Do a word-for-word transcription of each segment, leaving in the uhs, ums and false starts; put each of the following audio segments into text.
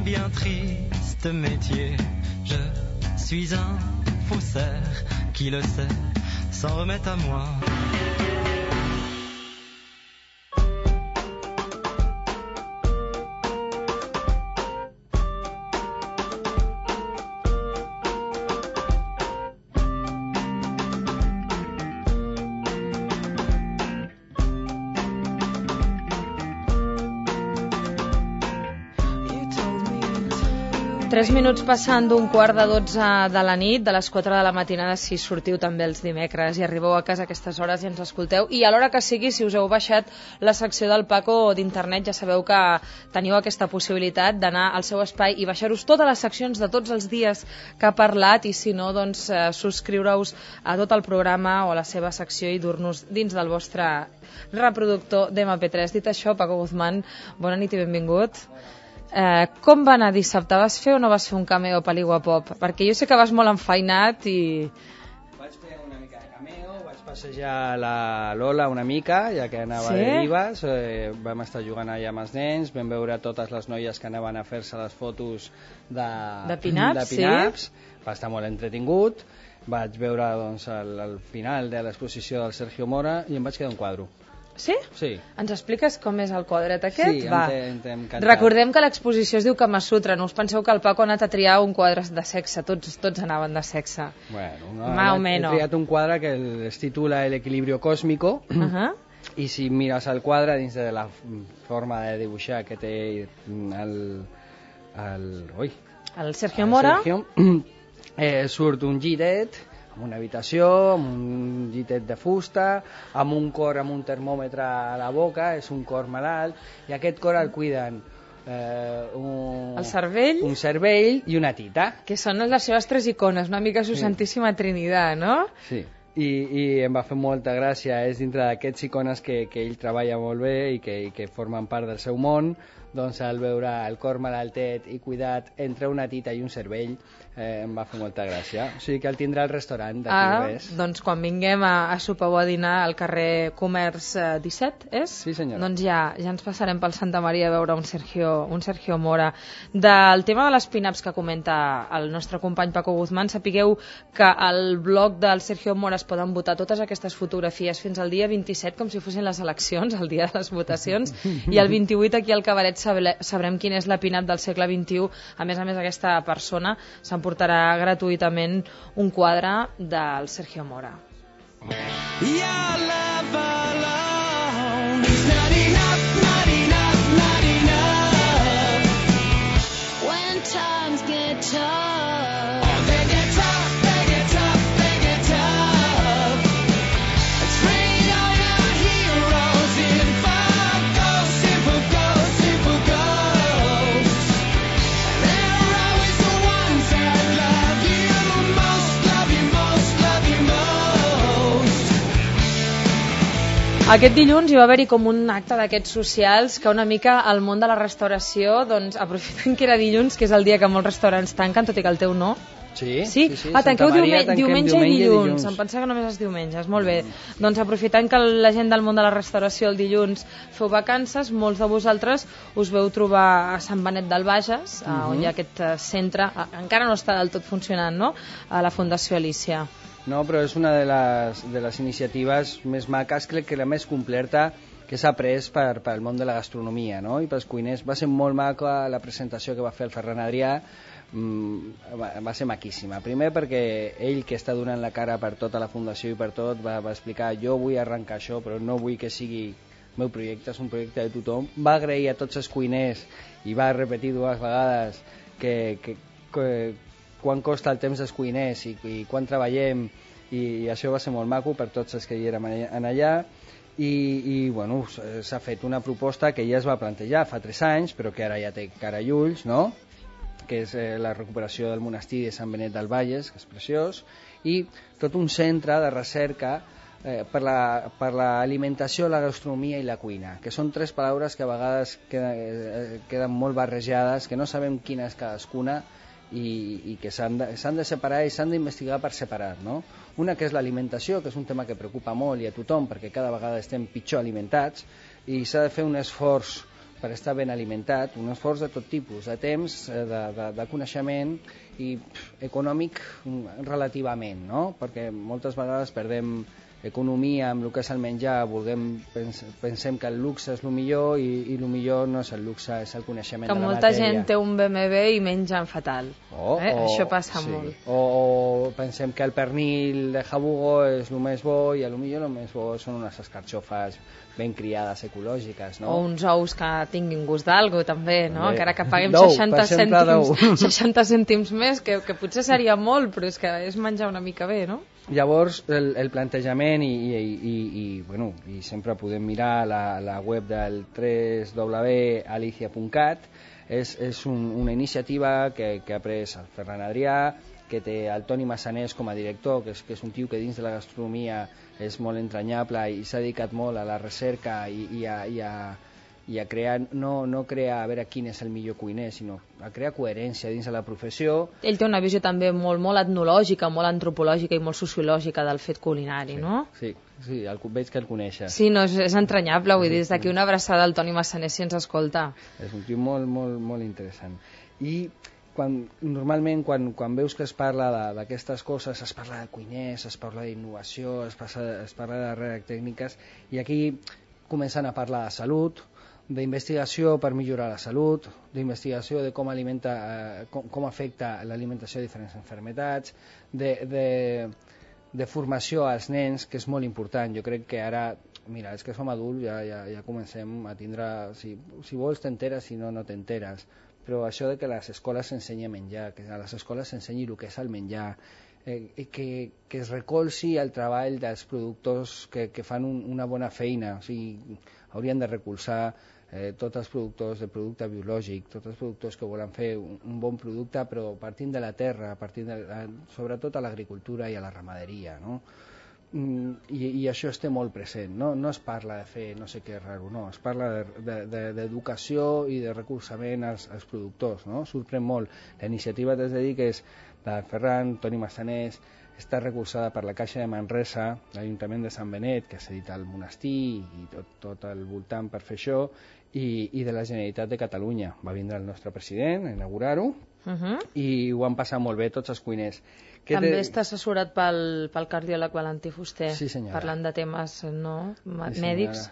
bien triste métier. Je suis un faussaire qui le sait, s'en remet à moi. Tres minuts passant d'un quart de dotze de la nit, de les quatre de la matinada, si sortiu també els dimecres i arribeu a casa a aquestes hores i ens escolteu. I a l'hora que sigui, si us heu baixat la secció del Paco d'internet, ja sabeu que teniu aquesta possibilitat d'anar al seu espai i baixar-us totes les seccions de tots els dies que ha parlat, i si no, doncs eh, subscriure-us a tot el programa o a la seva secció i dur-nos dins del vostre reproductor d'M P tres. Dit això, Paco Guzmán, bona nit i benvingut. Eh, com va anar dissabte? Vas fer o no vas fer un cameo per l'Iguapop? Perquè jo sé que vas molt enfeinat i... Vaig fer una mica de cameo, vaig passejar la Lola una mica, ja que anava sí? de divas, eh, vam estar jugant allà amb els nens, vam veure totes les noies que anaven a fer-se les fotos de, de pin-ups, de pin-ups. Sí? Va estar molt entretingut, vaig veure doncs, el, el final de l'exposició del Sergio Mora i em vaig quedar un quadre. Sí? Sí. Ens expliques com és el quadret aquest? Sí, Va. em té encantat. Recordem que l'exposició es diu Kama Sutra, no us penseu que el Paco ha anat a triar un quadre de sexe, tots, tots anaven de sexe. Bueno, no, Más o he menos. triat un quadre que es titula El equilibrio cósmico, uh -huh. i si mires el quadre dins de la forma de dibuixar que té el, el, ui, el Sergio el Mora, Sergio, eh, surt un llitet amb una habitació, amb un llitet de fusta, amb un cor amb un termòmetre a la boca, és un cor malalt, i aquest cor el cuiden eh, un, el cervell, un cervell i una tita. Que són les seves tres icones, una mica su sí. Santíssima Trinitat, no? Sí. I, i em va fer molta gràcia, és dintre d'aquests icones que, que ell treballa molt bé i que, i que formen part del seu món, doncs al veure el cor malaltet i cuidat entre una tita i un cervell eh, em va fer molta gràcia. O sigui que el tindrà al restaurant d'aquí ah, res. Doncs quan vinguem a, a sopar o a dinar al carrer Comerç eh, disset, és? Sí, senyora. Doncs ja, ja ens passarem pel Santa Maria a veure un Sergio, un Sergio Mora. Del tema de les pin-ups que comenta el nostre company Paco Guzmán, sapigueu que al blog del Sergio Mora es poden votar totes aquestes fotografies fins al dia vint-i-set, com si fossin les eleccions, el dia de les votacions, i el vint-i-vuit aquí al Cabaret sabrem quina és la pin-up del segle vint-i-u. A més a més, aquesta persona s'emportarà gratuïtament un quadre del Sergio Mora. Aquest dilluns hi va haver-hi com un acte d'aquests socials que una mica al món de la restauració, doncs, aprofitant que era dilluns, que és el dia que molts restaurants tanquen, tot i que el teu no. Sí, sí? sí, sí. Ah, tanqueu Maria, diumenge, diumenge i dilluns. dilluns. Em pensava que només els diumenges. Molt bé. Mm. Doncs aprofitant que la gent del món de la restauració el dilluns feu vacances, molts de vosaltres us veu trobar a Sant Benet del Bages, mm-hmm. on hi ha aquest centre, encara no està del tot funcionant, no?, a la Fundació Alícia. No, però és una de les, de les iniciatives més maques, crec que la més completa que s'ha pres per, per el món de la gastronomia, no?, i pels cuiners. Va ser molt maca la presentació que va fer el Ferran Adrià, mm, va, va ser maquíssima. Primer perquè ell, que està donant la cara per tota la fundació i per tot, va, va explicar: jo vull arrencar això, però no vull que sigui meu projecte, és un projecte de tothom. Va agrair a tots els cuiners i va repetir dues vegades que, que, que quan costa el temps dels cuiners i, i quan treballem, i, i això va ser molt maco per tots els que hi érem en allà. I, i bueno, s'ha fet una proposta que ja es va plantejar fa tres anys, però que ara ja té cara i ulls, no?, que és eh, la recuperació del monestir de Sant Benet del Bages, que és preciós, i tot un centre de recerca eh, per l'alimentació, la, la gastronomia i la cuina, que són tres paraules que a vegades queden, eh, queden molt barrejades, que no sabem quina és cadascuna, i, i que s'han de, s'han de separar i s'han d'investigar per separat, no? Una que és l'alimentació, que és un tema que preocupa molt i a tothom, perquè cada vegada estem pitjor alimentats, i s'ha de fer un esforç per estar ben alimentat, un esforç de tot tipus, de temps, de, de, de coneixement i pff, econòmic relativament, no? Perquè moltes vegades perdem economia amb el que és el menjar, vulguem, pens, pensem que el luxe és el millor i, i el millor no és el luxe, és el coneixement que de la matèria. Que molta gent té un B M W i mengen fatal. Oh, eh? oh, Això passa sí. molt. O, o pensem que el pernil de jabugo és el més bo i a lo millor el més bo són unes escarxofes ben criades, ecològiques, no? O uns ous que tinguin gust d'algo, també, no? Bé. Encara que paguem D'ou, seixanta, per exemple, cèntims, seixanta cèntims més, que, que potser seria molt, però és que és menjar una mica bé, no? Llavors, el, el plantejament, i, i, i, i, bueno, i sempre podem mirar la, la web del w w w punt alicia punt cat, és, és un, una iniciativa que, que ha pres el Ferran Adrià, que té el Toni Massanés com a director, que és, que és un tio que dins de la gastronomia és molt entranyable i s'ha dedicat molt a la recerca i, i, a, i, a, i a crear, no, no crear a veure quin és el millor cuiner, sinó a crear coherència dins de la professió. Ell té una visió també molt, molt etnològica, molt antropològica i molt sociològica del fet culinari, sí, no? Sí, sí, el, veig que el coneixes. Sí, no, és, és entranyable, vull dir, des d'aquí una abraçada al Toni Massanés si ens escolta. És un tio molt, molt, molt interessant. I quan, normalment quan, quan veus que es parla d'aquestes coses, es parla de cuiners, es parla d'innovació, es, es parla de darrere tècniques, i aquí comencen a parlar de salut, d'investigació per millorar la salut, d'investigació de com, alimenta, eh, com, com afecta l'alimentació a diferents malalties, de, de, de formació als nens, que és molt important. Jo crec que ara, mira, és que som adults, ja, ja, ja comencem a tindre, si, si vols t'enteres, si no, no t'enteres, però això de que a les escoles s'ensenyi a menjar, que a les escoles s'ensenyi el que és el menjar, eh, que, que es recolzi el treball dels productors que, que fan un, una bona feina, o sigui, haurien de recolzar eh, tots els productors de producte biològic, tots els productors que volen fer un, un bon producte, però partint de la terra, partint de, sobretot a l'agricultura i a la ramaderia, no? I, i això es té molt present, no? No es parla de fer no sé què raro, no, es parla d'educació de, de, i de recolzament als, als productors, no? Sorprèn molt. La iniciativa, t'has de dir, que és de Ferran, Toni Massanés, està recolzada per la Caixa de Manresa, l'Ajuntament de Sant Benet, que s'ha dit al monestir i tot, tot el voltant per fer això, i, i de la Generalitat de Catalunya. Va vindre el nostre president a inaugurar-ho, uh-huh. i ho han passat molt bé tots els cuiners. Que També te... està assessorat pel, pel cardiòleg Valentí Fuster, sí, parlant de temes no, sí, mèdics.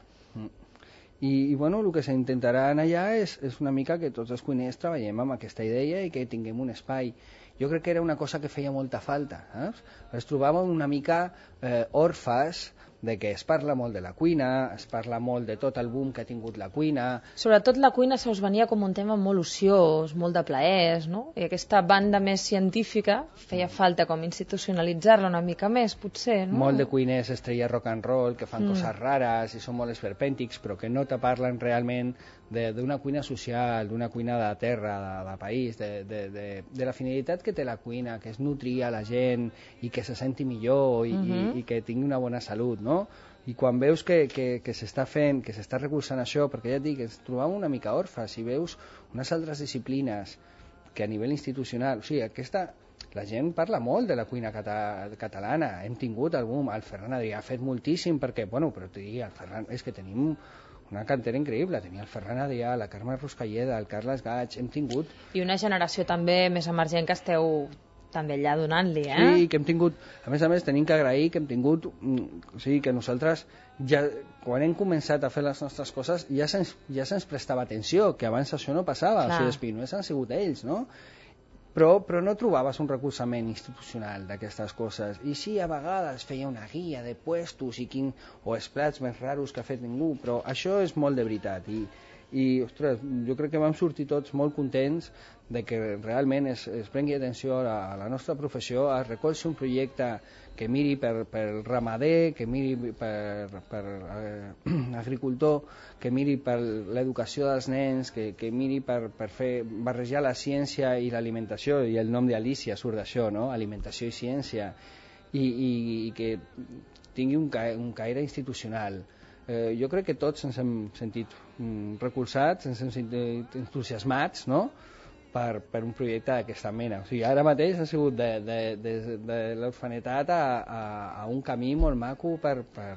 I, i bueno, el que s'intentarà allà és, és una mica que tots els cuiners treballem amb aquesta idea i que tinguem un espai. Jo crec que era una cosa que feia molta falta. Eh? Es trobàvem una mica eh, orfes de que es parla molt de la cuina, es parla molt de tot el boom que ha tingut la cuina. Sobretot la cuina se us venia com un tema molt ociós, molt de plaers, no? I aquesta banda més científica feia falta com institucionalitzar-la una mica més, potser, no? Molt de cuiners estrella rock and roll que fan mm. coses rares i són molt esperpèntics, però que no te parlen realment d'una cuina social, d'una cuina de terra, de, de país, de, de, de, de la finalitat que té la cuina, que és nutrir a la gent i que se senti millor i, mm-hmm. i, i que tingui una bona salut, no? I quan veus que, que, que s'està fent, que s'està recolzant això, perquè ja et dic, ens trobam una mica orfes, si veus unes altres disciplines que a nivell institucional, o sigui, aquesta, la gent parla molt de la cuina cata, catalana, hem tingut algun, el Ferran Adrià ha fet moltíssim, perquè, bueno, però t'ho dic, el Ferran, és que tenim una cantera increïble, tenia el Ferran Adrià, la Carme Ruscalleda, el Carles Gaig, hem tingut... I una generació també més emergent que esteu també allà donant-li, eh? Sí, que hem tingut, a més a més tenim que agrair que hem tingut, o sigui, que nosaltres ja, quan hem començat a fer les nostres coses ja se'ns ja se prestava atenció, que abans això no passava. Clar. O sigui, els pioners han sigut ells, no? Però, però no trobaves un recolzament institucional d'aquestes coses, i sí, a vegades feia una guia de puestos i quin, o els plats més raros que ha fet ningú, però això és molt de veritat, i, i ostres, jo crec que vam sortir tots molt contents de que realment es, es prengui atenció a la, a la nostra professió, es recolzi un projecte que miri per, per ramader, que miri per, per eh, agricultor, que miri per l'educació dels nens, que, que miri per, per fer barrejar la ciència i l'alimentació, i el nom d'Alicia surt d'això, no? Alimentació i ciència, i, i, i que tingui un, ca, un caire institucional. Eh, jo crec que tots ens hem sentit mm, recolzats, ens hem sentit entusiasmats, no?, per, per un projecte d'aquesta mena. O sigui, ara mateix ha sigut de, de, de, de l'orfanetat a, a, a un camí molt maco per, per,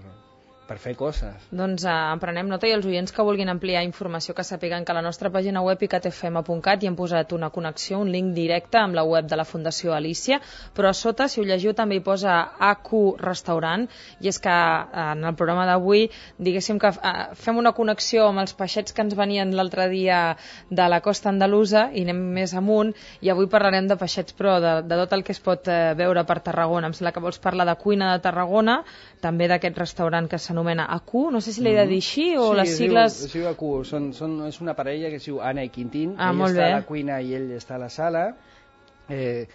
per fer coses. Doncs eh, en prenem nota, i els oients que vulguin ampliar informació que sàpiguen que a la nostra pàgina web i cat f m punt cat hi hem posat una connexió, un link directe amb la web de la Fundació Alícia, però a sota, si ho llegiu, també hi posa A Q Restaurant, i és que eh, en el programa d'avui, diguéssim que eh, fem una connexió amb els peixets que ens venien l'altre dia de la costa andalusa i anem més amunt, i avui parlarem de peixets, però de, de tot el que es pot eh, veure per Tarragona. Em sembla que vols parlar de cuina de Tarragona, també d'aquest restaurant que s'anomena A Q, no sé si l'he de dir així o sí, les sigles... Sí, es diu A Q, són, són, és una parella que es diu Anna i Quintín, ah, ell està bé. a la cuina i ell està a la sala, eh,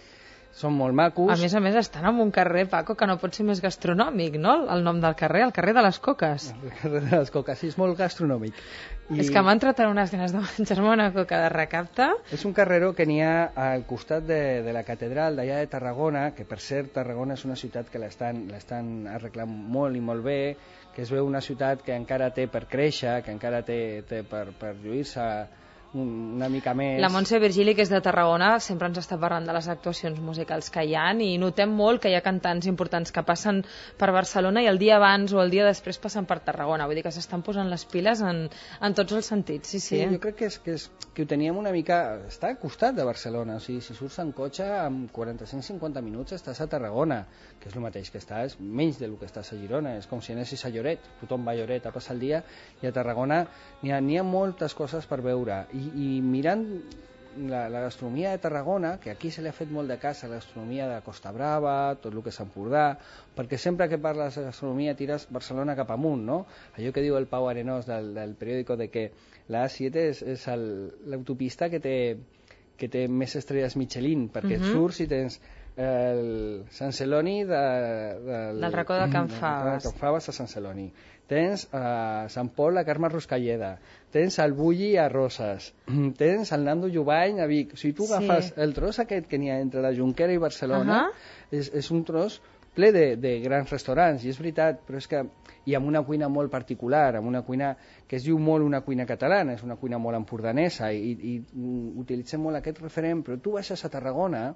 són molt macos. A més a més estan en un carrer, Paco, que no pot ser més gastronòmic, no? El nom del carrer, el carrer de les Coques. El carrer de les Coques, sí, és molt gastronòmic. I... És que m'ha entrat en unes ganes de menjar-me una coca de recapte. És un carreró que n'hi ha al costat de, de la catedral d'allà de Tarragona, que per cert Tarragona és una ciutat que l'estan l'estan arreglant molt i molt bé, que es veu una ciutat que encara té per créixer, que encara té, té per, per lluir-se una mica més. La Montse Virgili, que és de Tarragona, sempre ens està parlant de les actuacions musicals que hi ha, i notem molt que hi ha cantants importants que passen per Barcelona i el dia abans o el dia després passen per Tarragona, vull dir que s'estan posant les piles en, en tots els sentits. Sí, sí. Sí, jo crec que, és, que, és, que ho teníem una mica... Està al costat de Barcelona, o sigui, si surts en cotxe amb quaranta-cinc cinquanta minuts estàs a Tarragona, que és el mateix que estàs, menys del que estàs a Girona, és com si anessis a Lloret, tothom va a Lloret a passar el dia, i a Tarragona n'hi ha, n'hi ha moltes coses per veure. I, i mirant la, la gastronomia de Tarragona, que aquí se li ha fet molt de cas a la gastronomia de Costa Brava, tot el que és Empordà, perquè sempre que parles de gastronomia tires Barcelona cap amunt, no? Allò que diu el Pau Arenós del, del periòdico de que la A siete és, és l'autopista que té, que té més estrelles Michelin, perquè uh-huh. surts i tens el Sant Celoni de, del, del racó de Can Faves, de Can Faves a Sant Celoni, tens a Sant Pol a Carme Ruscalleda, tens el Bulli a Roses, tens el Nando Jubany a Vic. O sigui, tu agafes sí. el tros aquest que n'hi ha entre la Jonquera i Barcelona, uh-huh. és, és un tros ple de, de grans restaurants, i és veritat, però és que i amb una cuina molt particular, amb una cuina que es diu molt una cuina catalana, és una cuina molt empordanesa, i, i, i utilitzem molt aquest referent, però tu baixes a Tarragona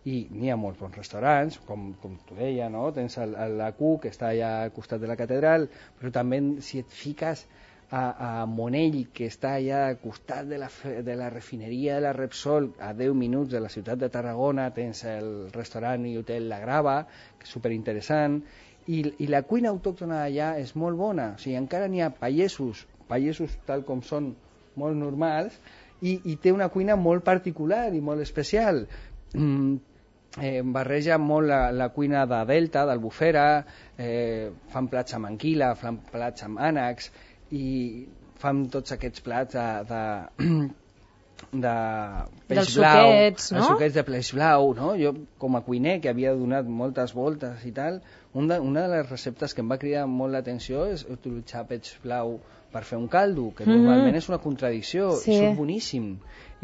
i n'hi ha molts bons restaurants, com, com tu deia, no? Tens l'A Q, que està allà al costat de la catedral, però també si et fiques a, a Monell, que està allà al costat de la, de la refineria de la Repsol, a deu minuts de la ciutat de Tarragona, tens el restaurant i hotel La Grava, que és superinteressant, i, i la cuina autòctona d'allà és molt bona, o sigui, encara n'hi ha pagesos, pagesos tal com són, molt normals, i, i té una cuina molt particular i molt especial. Mm, eh, barreja molt la, la cuina de Delta, d'Albufera, eh, fan plats amb anguila, fan plats amb ànecs, i fan tots aquests plats de, de, de peix dels blau, suquets, no? Els suquets de peix blau, no? Jo com a cuiner, que havia donat moltes voltes i tal, un de, una de les receptes que em va cridar molt l'atenció és utilitzar peix blau per fer un caldo, que mm-hmm. normalment és una contradicció, sí. I surt boníssim.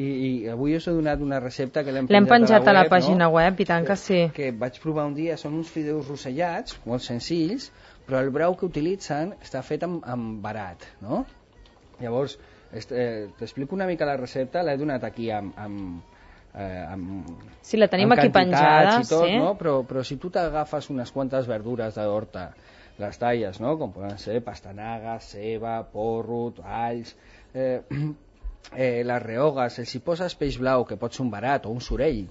I, i avui us he donat una recepta que l'hem penjat, penjat a la, web, a la pàgina no? web, i tant que sí. Que, que vaig provar un dia, són uns fideus rossellats, molt senzills, però el brou que utilitzen està fet amb, amb barat, no? Llavors, eh, t'explico una mica la recepta, l'he donat aquí amb... amb Eh, amb, sí, la tenim aquí penjada, i tot, sí. No? Però, però si tu t'agafes unes quantes verdures d'horta, les talles, no? Com poden ser pastanaga, ceba, porro, alls, eh, eh, les rehogues, els hi poses peix blau, que pot ser un barat o un sorell,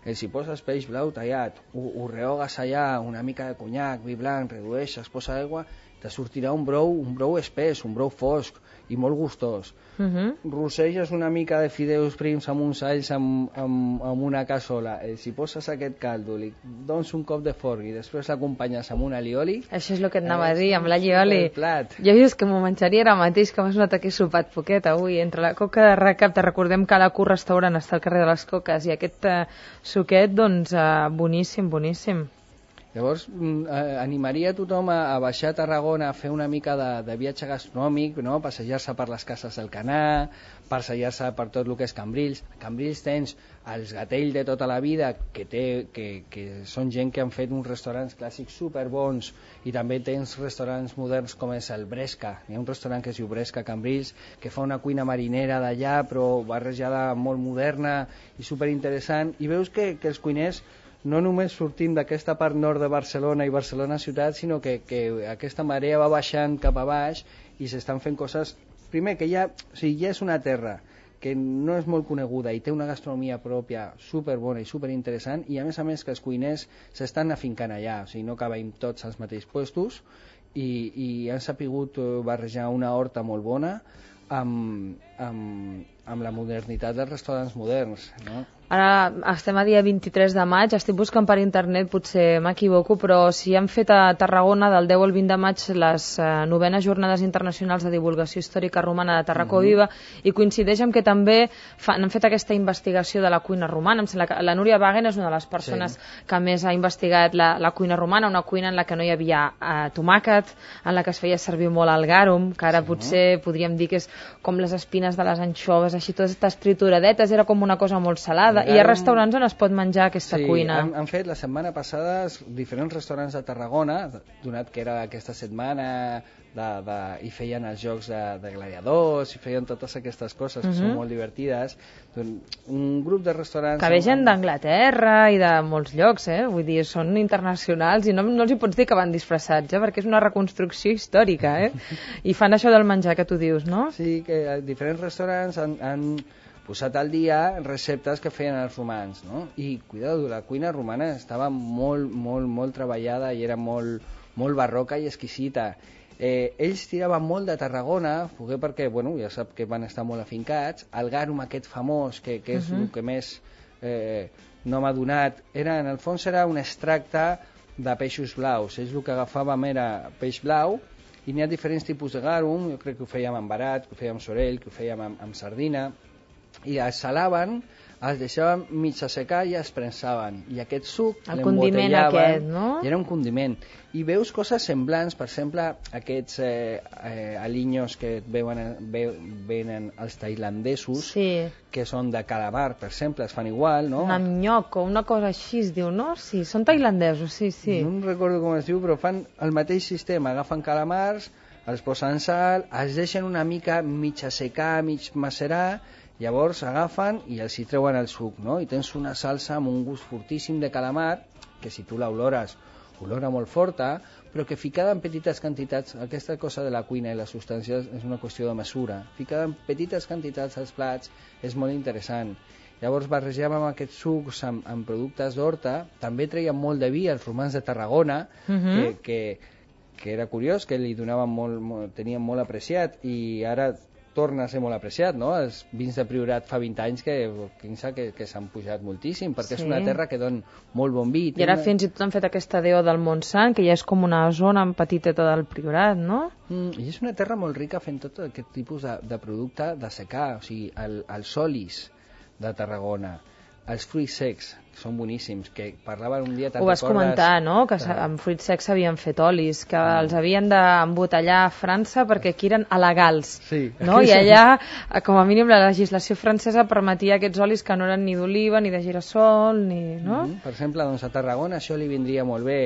els hi poses peix blau tallat, ho, ho rehogues allà, una mica de conyac, vi blanc, redueixes, posa aigua, te sortirà un brou, un brou espès, un brou fosc i molt gustós. Uh-huh. Rosseges una mica de fideus prims amb uns alls amb, amb, amb una cassola, eh, si poses aquest caldo, li dones un cop de forn i després l'acompanyes amb un alioli. Això és el que et anava a dir, amb l'allioli. Jo dius que m'ho menjaria ara mateix, que m'has notat que he sopat poquet avui, entre la coca de recapte, recordem que l'A Q Restaurant està al carrer de les Coques, i aquest eh, suquet, doncs, eh, boníssim, boníssim. Llavors, eh, animaria a tothom a, a baixar a Tarragona a fer una mica de, de viatge gastronòmic, no? Passejar-se per les cases del Canà, passejar-se per tot el que és Cambrils. A Cambrils tens els Gatell de tota la vida, que, té, que, que són gent que han fet uns restaurants clàssics superbons, i també tens restaurants moderns com és el Bresca. Hi ha un restaurant que es diu Bresca a Cambrils, que fa una cuina marinera d'allà, però barrejada molt moderna i superinteressant, i veus que, que els cuiners no només sortint d'aquesta part nord de Barcelona i Barcelona ciutat, sinó que, que aquesta marea va baixant cap a baix i s'estan fent coses... Primer, que ja, o sigui, ja és una terra que no és molt coneguda i té una gastronomia pròpia superbona i superinteressant, i a més a més que els cuiners s'estan afincant allà, o sigui, no acabem tots als mateixos puestos, i, i han sapigut barrejar una horta molt bona amb, amb, amb la modernitat dels restaurants moderns, no? Ara estem a dia vint-i-tres de maig, estic buscant per internet, potser m'equivoco, però si han fet a Tarragona del deu al vint de maig les eh, novenes jornades internacionals de divulgació històrica romana de Tarracó mm-hmm. Viva, i coincideix amb que també fan, han fet aquesta investigació de la cuina romana. Em sembla que la Núria Wagen és una de les persones sí. que més ha investigat la, la cuina romana, una cuina en la que no hi havia eh, tomàquet, en la que es feia servir molt el garum, que ara sí, potser no? podríem dir que és com les espines de les anxoves, així totes aquestes trituradetes, era com una cosa molt salada. I hi ha restaurants on es pot menjar aquesta sí, cuina. Han, han fet la setmana passada diferents restaurants de Tarragona, donat que era aquesta setmana de, de, i feien els jocs de, de gladiadors, i feien totes aquestes coses que uh-huh. són molt divertides. Un grup de restaurants... Que ve gent d'Anglaterra i de molts llocs, eh? Vull dir, són internacionals i no, no els hi pots dir que van disfressats, eh? Perquè és una reconstrucció històrica, eh? I fan això del menjar que tu dius, no? Sí, que diferents restaurants han... han posat al dia receptes que feien els romans, no? I, cuidado, la cuina romana estava molt, molt, molt treballada i era molt, molt barroca i exquisita. Eh, ells tiraven molt de Tarragona, perquè, bueno, ja sap que van estar molt afincats, el garum aquest famós, que, que és uh-huh. el que més eh, no m'ha donat, era, en el fons era un extracte de peixos blaus. Ells el que agafàvem era peix blau, i n'hi ha diferents tipus de garum, jo crec que ho fèiem amb barat, que ho fèiem amb sorell, que ho fèiem amb, amb sardina, i es salaven, es deixaven mig assecar i es prensaven, i aquest suc l'embotellaven, no? I era un condiment, i veus coses semblants, per exemple aquests eh, eh, alinyos que et veuen, ve, venen els tailandesos, sí. que són de calamar, per exemple, es fan igual, no? Un amnyoc o una cosa així es diu, no? Sí, són tailandesos, sí, sí. No recordo com es diu, però fan el mateix sistema, agafen calamars, els posen sal, els deixen una mica mig assecar, mig macerar, llavors agafen i els hi treuen el suc, no? I tens una salsa amb un gust fortíssim de calamar, que si tu l'olores, olora molt forta, però que ficada en petites quantitats, aquesta cosa de la cuina i les substàncies és una qüestió de mesura, ficada en petites quantitats als plats és molt interessant. Llavors barrejàvem aquests sucs amb, amb productes d'horta, també treien molt de vi els romans de Tarragona, uh-huh. que, que, que era curiós, que li donaven molt, molt, tenien molt apreciat, i ara torna a ser molt apreciat, no? Els vins de Priorat fa vint anys que, que, que s'han pujat moltíssim, perquè sí. és una terra que don molt bon vi. I ara una... fins i tot han fet aquesta deo del Montsant, que ja és com una zona petiteta del Priorat, no? Mm, I és una terra molt rica fent tot aquest tipus de, de producte de secà, o sigui, el, els olis de Tarragona, els fruits secs, que són boníssims, que parlaven un dia... Ho vas comentar, no?, que de... amb fruits secs s'havien fet olis, que mm. els havien d'embotellar a França perquè aquí eren alegals, sí. no? I allà, com a mínim, la legislació francesa permetia aquests olis que no eren ni d'oliva, ni de girassol, ni... no? Mm-hmm. Per exemple, doncs a Tarragona això li vindria molt bé.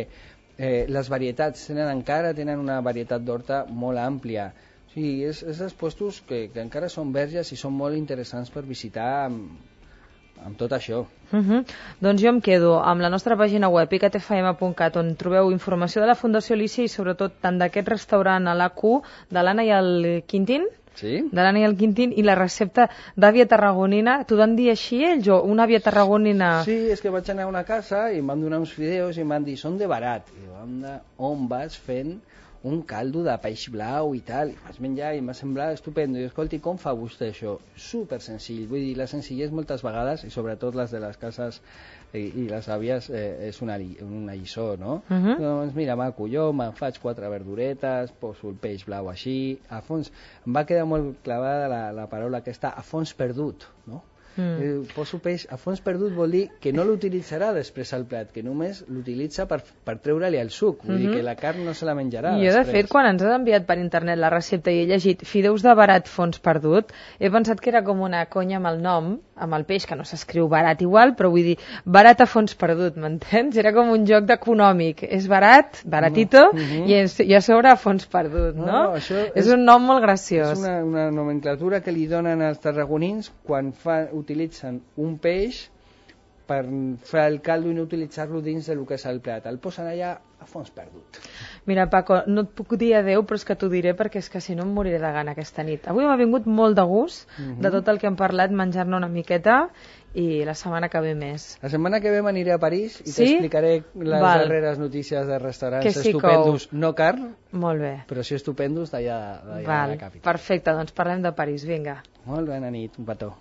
Eh, les varietats tenen encara tenen una varietat d'horta molt àmplia. O sigui, és, és dels puestos que, que encara són verges i són molt interessants per visitar amb, amb tot això. Uh-huh. Doncs jo em quedo amb la nostra pàgina web i c t f m punt cat, on trobeu informació de la Fundació Lícia i sobretot tant d'aquest restaurant a l'A Q de l'Anna i el Quintín, sí? de l'Anna i el Quintín, i la recepta d'àvia tarragonina. T'ho van dir així ells o una àvia tarragonina? Sí, és que vaig anar a una casa i em van donar uns fideus i em van dir, són de barat. I vam anar, on vas fent un caldo de peix blau i tal, i vaig menjar i m'ha semblat estupendo. I escolti, com fa vostè això? Super senzill, vull dir, la senzillesa moltes vegades, i sobretot les de les cases i, i les àvies, eh, és una, una lliçó, no? Uh-huh. Doncs mira, maco, jo me'n faig quatre verduretes, poso el peix blau així, a fons, em va quedar molt clavada la, la paraula aquesta, a fons perdut, no? Mm. Eh, poso peix a fons perdut vol dir que no l'utilitzarà després al plat, que només l'utilitza per, per treure-li el suc, vull mm-hmm. dir que la carn no se la menjarà. Jo després. De fet, quan ens has enviat per internet la recepta i he llegit fideus de barat fons perdut, he pensat que era com una conya amb el nom, amb el peix, que no s'escriu barat igual, però vull dir, barat a fons perdut, m'entens? Era com un joc d'econòmic, és barat, baratito, no. mm-hmm. i, és, i a sobre a fons perdut, no? no? Això és, és un nom molt graciós. És una, una nomenclatura que li donen als tarragonins quan fa, utilitzen un peix per fer el caldo i no utilitzar-lo dins del que és el plat. El posen allà a fons perdut. Mira, Paco, no et puc dir adeu, però és que t'ho diré perquè és que si no em moriré de gana aquesta nit. Avui m'ha vingut molt de gust uh-huh. de tot el que hem parlat, menjar-ne una miqueta, i la setmana que ve més. La setmana que ve m'aniré a París i sí? t'explicaré les Val. darreres notícies de restaurants que sí estupendos, que ho... no car, molt bé. però sí estupendos d'allà de la capital. Perfecte, doncs parlem de París, vinga. Molt bé, nit, un petó.